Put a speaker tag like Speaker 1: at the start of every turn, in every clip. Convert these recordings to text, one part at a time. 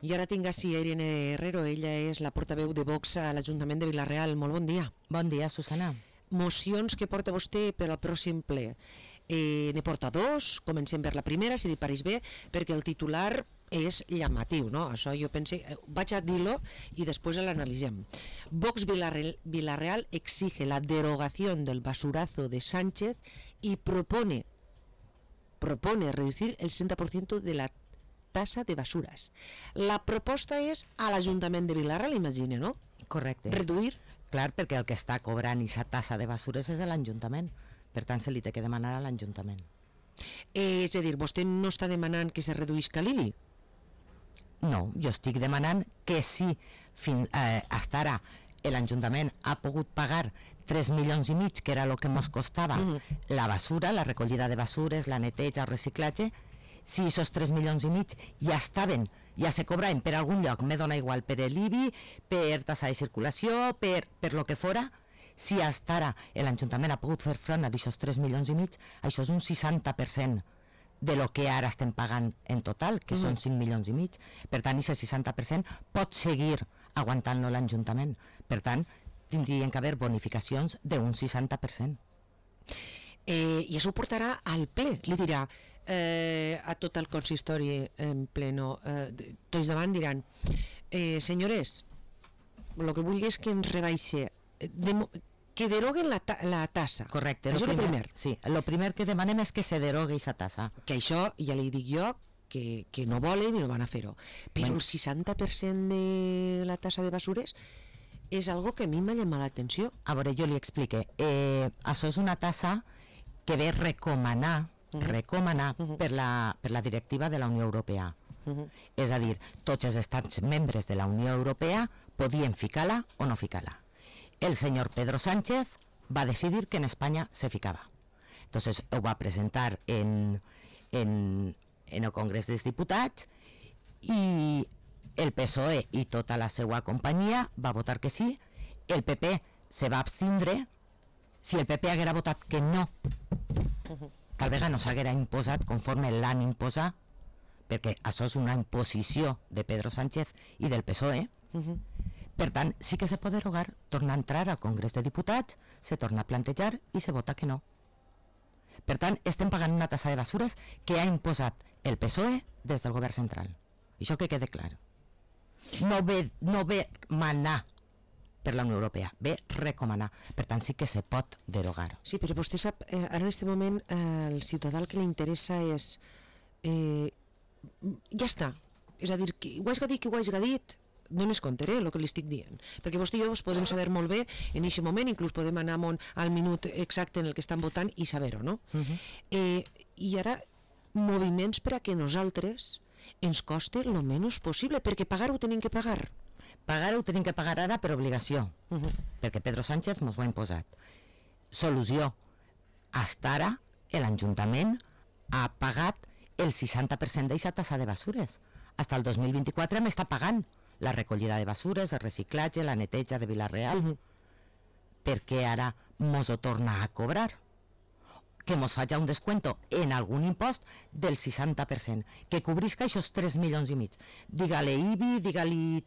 Speaker 1: I ara tinc així Irene Herrero, ella és la portaveu de Vox a l'Ajuntament de Vila-real. Molt bon dia.
Speaker 2: Bon dia, Susana.
Speaker 1: Mocions que porta vostè per al pròxim ple. Ne porta dos, comencem per la primera, si li pareix bé, perquè el titular és llamatiu, no? Això jo pense, vaig a dir-lo i després l'analitzem. Vox Vila-real exige la derogación del basurazo de Sánchez y propone reducir el 60% de la tasa de basuras. La proposta és a l'Ajuntament de Vila-real, imagina, no?
Speaker 2: Correcte.
Speaker 1: Reduir.
Speaker 2: Clar, perquè el que està cobrant aquesta tassa de basures és l'Ajuntament. Per tant, se li té que demanar a l'Ajuntament.
Speaker 1: És a dir, vostè no està demanant que se reduïsca l'IBI?
Speaker 2: No, jo estic demanant que si fins ara l'Ajuntament ha pogut pagar 3 milions i mig, que era el que ens costava la basura, la recollida de basures, la neteja, el reciclatge, si aquests 3 milions i mig ja estaven, ja se cobraven per algun lloc, me dona igual, per l'IBI, per tassa de circulació, per lo que fora, si hasta ara l'Ajuntament ha pogut fer front a aquests 3 milions i mig, això és un 60% de lo que ara estem pagant en total, que són 5 milions i mig. Per tant, aquest 60% pot seguir aguantant-lo l'Ajuntament. Per tant, tindrien que haver bonificacions d'un 60%.
Speaker 1: I això ho portarà al ple, li dirà a tot el consistori en pleno, tots davant diran senyores, el que vulgui és que ens rebaixe, que deroguen la tassa.
Speaker 2: Correcte.
Speaker 1: Això és el primer.
Speaker 2: Sí, el primer que demanem és que se derogui aquesta tassa.
Speaker 1: Que això ja li dic jo que no volen i no van a fer-ho. Però el 60% de la tassa de basures és algo que a mi m'ha llamat l'atenció.
Speaker 2: A veure, jo li explique. Això és una tassa que ve recomanar per la directiva de la Unió Europea. És a dir, tots els estats membres de la Unió Europea podien ficar-la o no ficar-la. El senyor Pedro Sánchez va decidir que en Espanya se ficava. Entonces ho va presentar en el Congrés dels Diputats i el PSOE i tota la seva companyia va votar que sí. El PP se va abstindre. Si el PP haguera votat que no, tal vegada no s'haguera imposat conforme l'han imposat, perquè això és una imposició de Pedro Sánchez i del PSOE. Per tant, sí que se pot derogar, torna a entrar al Congrés de Diputats, se torna a plantejar i se vota que no. Per tant, estem pagant una tassa de basures que ha imposat el PSOE des del govern central. Això que quede clar. No ve manar per la Unió Europea, ve recomanar. Per tant, sí que se pot derogar.
Speaker 1: Sí, però vostè sap, ara en aquest moment el ciutadà el que li interessa és ja està, és a dir, que ho hagi dit, que ho hagi dit, no m'escontaré el que li estic dient, perquè vostè i jo podem saber molt bé en aquest moment, inclús podem anar al minut exacte en el que estan votant i saber-ho, no? I ara moviments per a que nosaltres ens costi el menys possible, perquè pagar ho tenim que pagar.
Speaker 2: Pagar ho tenim que pagar ara per obligació, perquè Pedro Sánchez ens ho ha imposat. Solució. Hasta ara l'Ajuntament ha pagat el 60% d'aquesta tassa de basures. Hasta el 2024 m'està pagant la recollida de basures, el reciclatge, la neteja de Vila-real. Per què ara mos ho torna a cobrar? Que mos faci un descuento en algun impost del 60%, que cobrisca aquests 3 milions i mig. Digue-li IBI, digue-li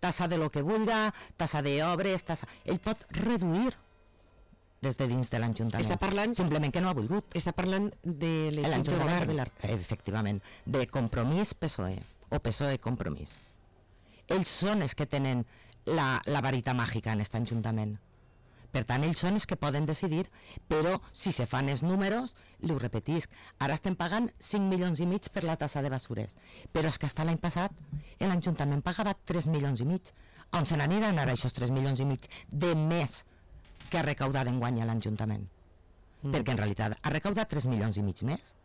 Speaker 2: tassa de lo que vulga, tassa d'obres, tassa... Ell pot reduir des de dins de l'Ajuntament.
Speaker 1: Està parlant...
Speaker 2: Simplement que no ha volgut.
Speaker 1: Està parlant de l'equip de govern.
Speaker 2: Efectivament, de Compromís PSOE, o PSOE Compromís. Ells són els que tenen la varita màgica en aquest Ajuntament. Per tant, ells són els que poden decidir, però si se fan els números, li ho repetisc, ara estem pagant 5 milions i mig per la tassa de basures, però és que hasta l'any passat l'Ajuntament pagava 3 milions i mig. On se n'aniran ara aquests 3 milions i mig de més que ha recaudat d'enguany a l'Ajuntament? Perquè en realitat ha recaudat 3 milions i mig més.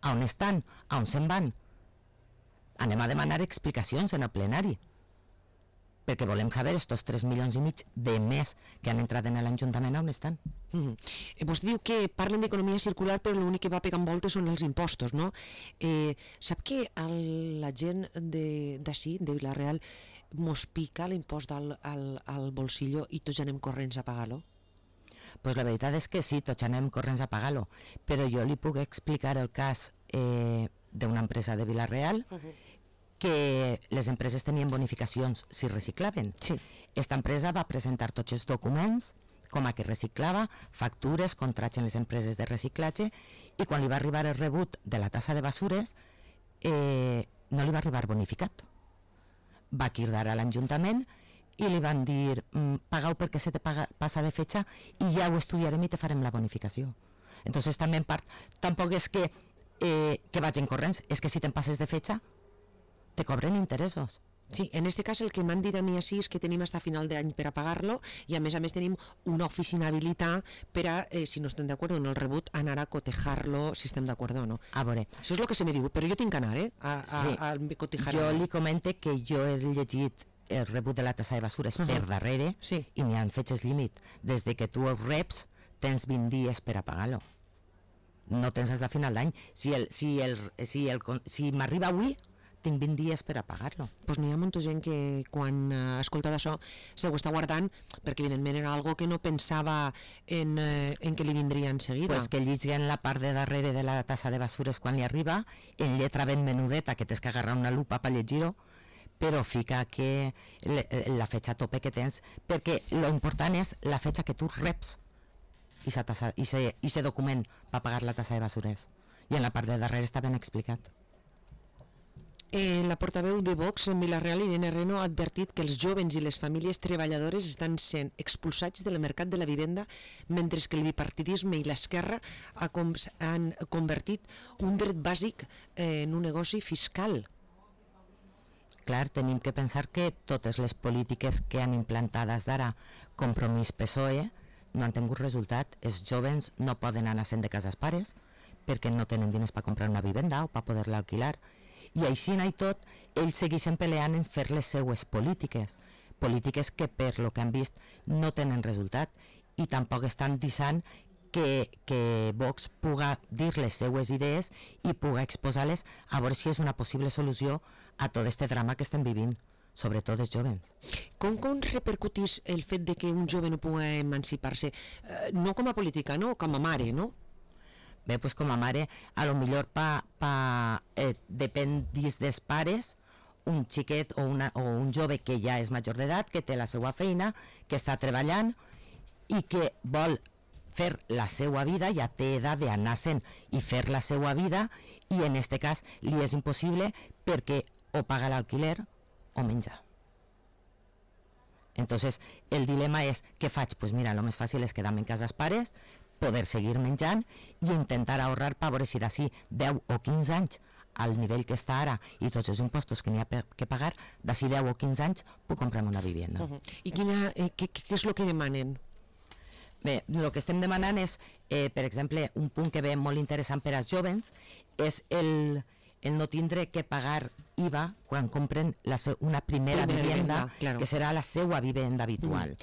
Speaker 2: A on estan? A on se'n van? Anem a demanar explicacions en el plenari, perquè volem saber estos 3 milions i mig de més que han entrat en l'Ajuntament on estan.
Speaker 1: Vostè diu que parlen d'economia circular, però l'únic que va pegant voltes són els impostos, no? Sap que la gent d'ací, de Vila-real, mos pica l'impost al bolsillo i tots anem corrents a pagar-lo?
Speaker 2: Pues la veritat és que sí, tots anem corrents a pagar-lo, però jo li puc explicar el cas d'una empresa de Vila-real que les empreses tenien bonificacions si reciclaven.
Speaker 1: Sí.
Speaker 2: Esta empresa va presentar tots els documents com a que reciclava, factures, contrats en les empreses de reciclatge, i quan li va arribar el rebut de la tassa de basures no li va arribar bonificat. Va cridar a l'Ajuntament i li van dir pagau perquè se te passa de fetge i ja ho estudiarem i te farem la bonificació. Entonces també en part tampoc és que vagin corrents, és que si te'n passes de fetge te cobren interessos.
Speaker 1: Sí, en este cas el que m'han dit a mi així és que tenim fins a final d'any per a pagar-lo i a més tenim una oficina habilitada per a, si no estem d'acord en el rebut, anar a cotejar-lo si estem d'acord o no.
Speaker 2: A veure.
Speaker 1: Això és el que se me diu, però jo tinc que anar, a cotejar-lo.
Speaker 2: Jo li comente que jo he llegit el rebut de la tassa de basures per darrere i n'hi ha fetges límit. Des de que tu el reps tens 20 dies per a pagar-lo. No tens fins a final d'any. Si m'arriba avui, tinc 20 dies per a pagar-lo.
Speaker 1: Pues n'hi ha molta gent que quan ha escoltat això se ho està guardant perquè evidentment era algo que no pensava en que li vindria en seguida.
Speaker 2: Pues que lliguen la part de darrere de la tassa de basures quan li arriba, en lletra ben menudeta, que tens que agarrar una lupa per llegir-ho, però fica que la fetge a tope que tens, perquè lo important és la fetge que tu reps i se document per pagar la tassa de basures. I en la part de darrere està ben explicat.
Speaker 1: La portaveu de Vox en Vila-real, Irene Reno, ha advertit que els jóvens i les famílies treballadores estan sent expulsats del mercat de la vivenda, mentre que el bipartidisme i l'esquerra han convertit un dret bàsic en un negoci fiscal.
Speaker 2: Clar, tenim que pensar que totes les polítiques que han implantades d'ara, Compromís PSOE, no han tingut resultat. Els jóvens no poden anar sent de cases pares perquè no tenen diners per comprar una vivenda o per poder-la alquilar. I així i tot, ells segueixen peleant en fer les seues polítiques que per lo que han vist no tenen resultat, i tampoc estan deixant que Vox puga dir les seues idees i puga exposar-les a veure si és una possible solució a tot este drama que estem vivint, sobretot els jóvens.
Speaker 1: Com repercutís el fet de que un jove no pugui emancipar-se? No com a política, no? Com a mare, no?
Speaker 2: Bé, doncs com a mare, a lo millor depèn dels pares, un xiquet o un jove que ja és major d'edat, que té la seva feina, que està treballant i que vol fer la seva vida, ja té edat d'anar-se'n i fer la seva vida, i en aquest cas li és impossible perquè o paga l'alquiler o menja. Entonces, el dilema és, què faig? Pues mira, lo més fàcil és quedar-me en casa els pares, poder seguir menjant i intentar ahorrar per veure si d'ací 10 o 15 anys al nivell que està ara i tots els impostos que n'hi ha que pagar, d'ací 10 o 15 anys puc comprar una vivenda.
Speaker 1: I què és el que demanen?
Speaker 2: Bé, el que estem demanant és, per exemple, un punt que ve molt interessant per als jóvens és el no tindre que pagar IVA quan compren una primera vivenda, claro, que serà la seva vivenda habitual.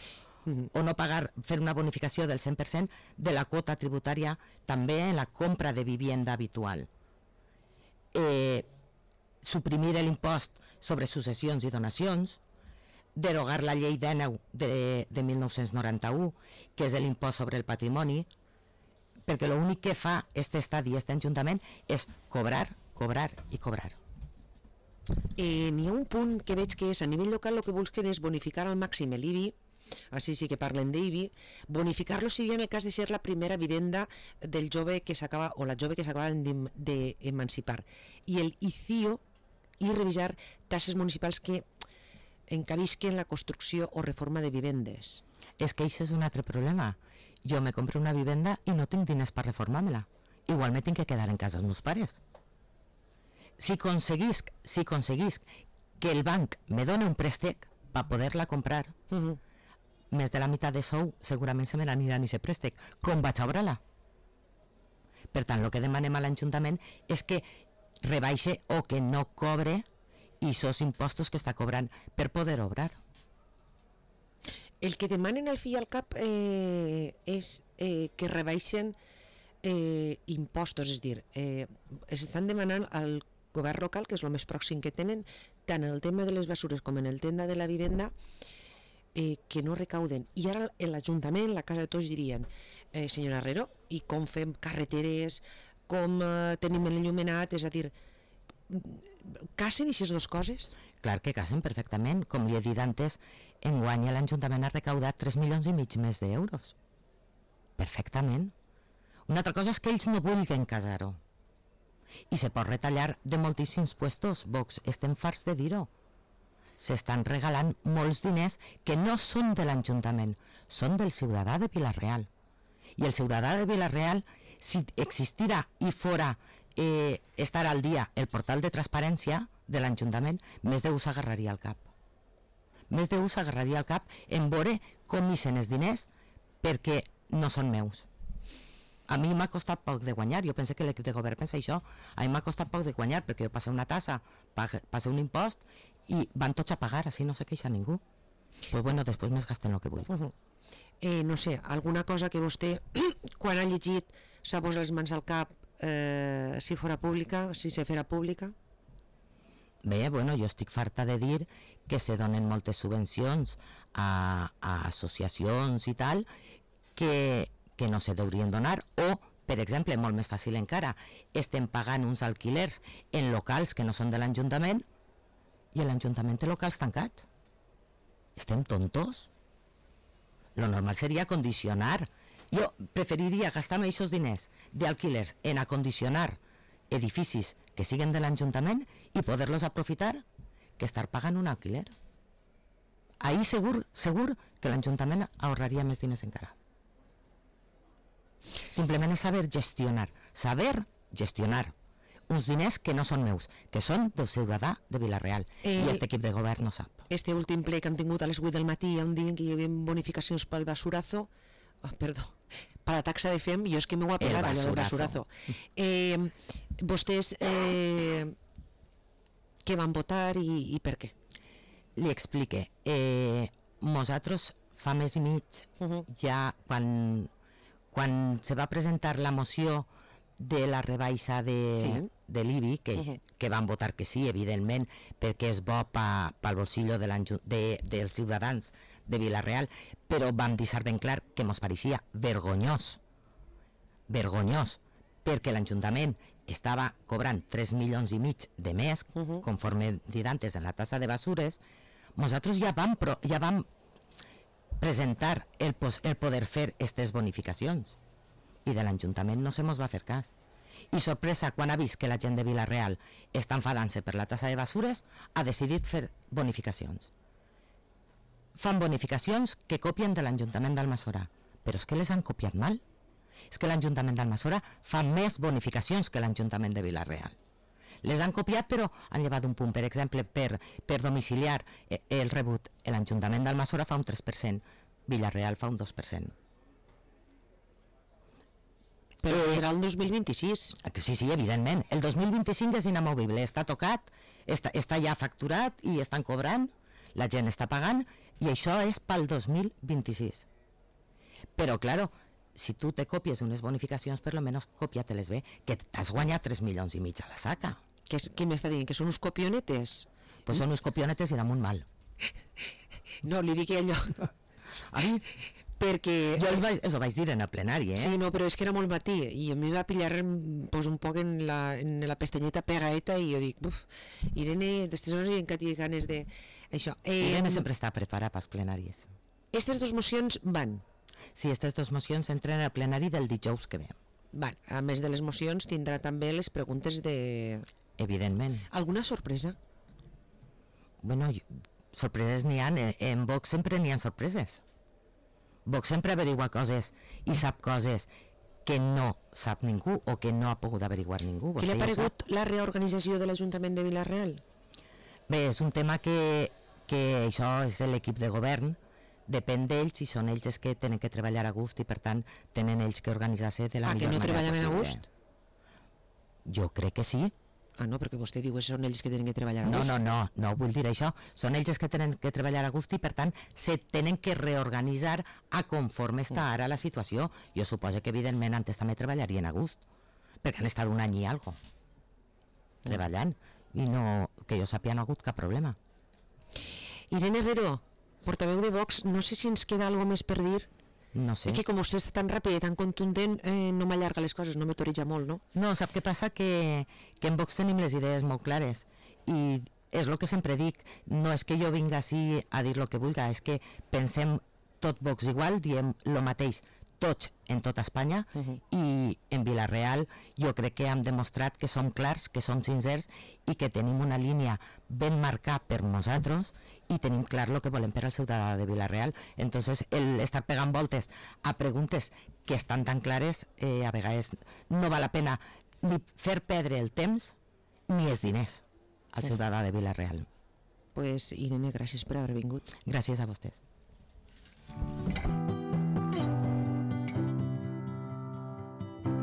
Speaker 2: O no pagar, fer una bonificació del 100% de la quota tributària també en la compra de vivenda habitual. Suprimir l'impost sobre successions i donacions, derogar la llei 19 de 1991, que és l'impost sobre el patrimoni, perquè l'únic que fa aquest estadi, aquest ajuntament, és cobrar, cobrar i cobrar.
Speaker 1: N'hi ha un punt que veig que és a nivell local el que busquen és bonificar al màxim l'IBI, així sí que parlen d'IBI, bonificar-lo si en el cas de ser la primera vivenda del jove que s'acaba o la jove que s'acaba d'emancipar, i el ICIO, i revisar tasses municipals que encarisquen la construcció o reforma de vivendes.
Speaker 2: És que això és un altre problema. Jo me compro una vivenda i no tinc diners per reformar-me-la. Igual me tinc que quedar en casa els meus pares. Si aconseguisc que el banc me doni un préstec per poder-la comprar, més de la meitat de sou segurament se me n'aniran i se préstec. Com vaig a obrar-la? Per tant, el que demanem a l'Ajuntament és que rebaixe o que no cobre aquests impostos que està cobrant per poder obrar.
Speaker 1: El que demanen al fi i al cap és que rebaixen impostos, és dir, estan demanant al govern local, que és el més pròxim que tenen, tant en el tema de les basures com en el tema de la vivenda, que no recauden. I ara l'Ajuntament, la Casa de Tots dirien, senyora Herrero, i com fem carreteres, com tenim l'enllumenat, és a dir, casen aquestes dues coses?
Speaker 2: Clar que casen perfectament. Com li he dit antes, enguany l'Ajuntament ha recaudat 3 milions i mig més d'euros. Perfectament. Una altra cosa és que ells no vulguin casar-ho. I se pot retallar de moltíssims puestos. Vox, estem farts de dir-ho. S'estan regalant molts diners que no són de l'Ajuntament, són del ciutadà de Vila-real. I el ciutadà de Vila-real, si existirà i fora estar al dia el portal de transparència de l'Ajuntament, més de s'agarraria al cap. Més de s'agarraria al cap en veure com ixen els diners perquè no són meus. A mi m'ha costat poc de guanyar, jo penso que l'equip de govern pensa això, a mi m'ha costat poc de guanyar perquè jo passé una tassa, passé un impost i van tots a pagar, així no se queixa ningú. Pues bueno, després més gasten el que vull.
Speaker 1: No sé, alguna cosa que vostè, quan ha llegit, s'ha posat les mans al cap, si fora pública, si se farà pública?
Speaker 2: Bé, bueno, jo estic farta de dir que se donen moltes subvencions a associacions i tal que no se deurien donar, o, per exemple, molt més fàcil encara, estem pagant uns alquilers en locals que no són de l'Ajuntament i l'Ajuntament té locals tancats. Estem tontos? Lo normal seria condicionar. Jo preferiria gastar-me aquests diners d'alquilers en acondicionar edificis que siguen de l'Ajuntament i poder-los aprofitar que estar pagant un alquiler. Ahí segur que l'Ajuntament ahorraria més diners encara. Simplement és saber gestionar uns diners que no són meus, que són del ciutadà de Vila-real, i aquest equip de govern no sap.
Speaker 1: Este últim ple que hem tingut a les 8 del matí, on diuen que hi havia bonificacions pel basurazo, per la taxa de FEM, jo és que m'ho ha pegat allò del basurazo. Vostès què van votar i per què?
Speaker 2: Li explique. Nosaltres fa mes i mig, ja quan se va presentar la moció de la rebaixa de l'IBI, que van votar que sí, evidentment, perquè és bo pel bolsillo dels ciutadans de Vila-real, però vam deixar ben clar que ens pareixia vergonyós, perquè l'Ajuntament estava cobrant 3 milions i mig de més, conforme dit antes en la tassa de basures. Nosaltres ja vam presentar el poder fer aquestes bonificacions i de l'Ajuntament no se mos va fer cas. I sorpresa, quan ha vist que la gent de Vila-real està enfadant-se per la tassa de basures, ha decidit fer bonificacions. Fan bonificacions que copien de l'Ajuntament d'Almassora, però és que les han copiat mal. És que l'Ajuntament d'Almassora fa més bonificacions que l'Ajuntament de Vila-real. Les han copiat, però han llevat un punt. Per exemple, per domiciliar el rebut, l'Ajuntament d'Almassora fa un 3%, Vila-real fa un 2%.
Speaker 1: Però serà el 2026.
Speaker 2: Sí, evidentment. El 2025 és inamovible, està tocat, està ja facturat i estan cobrant, la gent està pagant, i això és pel 2026. Però, claro, si tu te copies unes bonificacions, per lo menos còpia-te-les bé, que t'has guanyat 3 milions i mig a la saca.
Speaker 1: Què m'està dient? Que són uns copionetes?
Speaker 2: Pues són uns copionetes i damunt mal.
Speaker 1: No, li dic allò.
Speaker 2: Ai,
Speaker 1: perquè...
Speaker 2: Jo ho vaig dir en el plenari,
Speaker 1: Sí, no, però és que era molt matí i a mi va pillar pues, un poc en la pestanyeta pegaeta i jo dic, Irene, d'estes hores encara tinc ganes de... Això.
Speaker 2: Irene sempre està preparada pels plenaris.
Speaker 1: Aquestes dues mocions van?
Speaker 2: Sí, aquestes dues mocions entren al plenari del dijous que ve.
Speaker 1: Van. A més de les mocions tindrà també les preguntes de...
Speaker 2: Evidentment.
Speaker 1: Alguna sorpresa?
Speaker 2: Bueno, sorpreses n'hi ha, en Vox sempre n'hi ha sorpreses. Vox sempre averigua coses i sap coses que no sap ningú o que no ha pogut averiguar ningú.
Speaker 1: Què li ha paregut la reorganització de l'Ajuntament de Vila-real?
Speaker 2: Bé, és un tema que això és l'equip de govern, depèn d'ells i són ells els que tenen que treballar a gust i per tant tenen ells que organitzar-se de la millor manera possible.
Speaker 1: Que no treballen a gust?
Speaker 2: Jo crec que sí.
Speaker 1: No, perquè vostè diu que són ells que tenen que treballar a gust.
Speaker 2: No vull dir això. Són ells que tenen que treballar a gust i per tant se tenen que reorganitzar a conforme està ara la situació. Jo suposo que evidentment antes també treballarien a gust, perquè han estat un any i algo treballant i no, que jo sàpiga, no ha hagut cap problema.
Speaker 1: Irene Herrero, portaveu de Vox, no sé si ens queda alguna més per dir.
Speaker 2: No sé.
Speaker 1: Que com vostè està tan ràpid i tan contundent, no m'allarga les coses, no m'autoritza molt, no?
Speaker 2: No, sap què passa? Que en Vox tenim les idees molt clares i és el que sempre dic, no és que jo vinga així a dir el que vulga, és que pensem tot Vox igual, diem el mateix tots en tota Espanya i en Vila-real jo crec que hem demostrat que som clars, que som sincers i que tenim una línia ben marcada per nosaltres i tenim clar el que volem per al ciutadà de Vila-real. Entonces, el estar pegant voltes a preguntes que estan tan clares, a vegades no val la pena ni fer perdre el temps ni els diners al ciutadà de Vila-real.
Speaker 1: Pues, Irene, gràcies per haver vingut.
Speaker 2: Gràcies a vostès.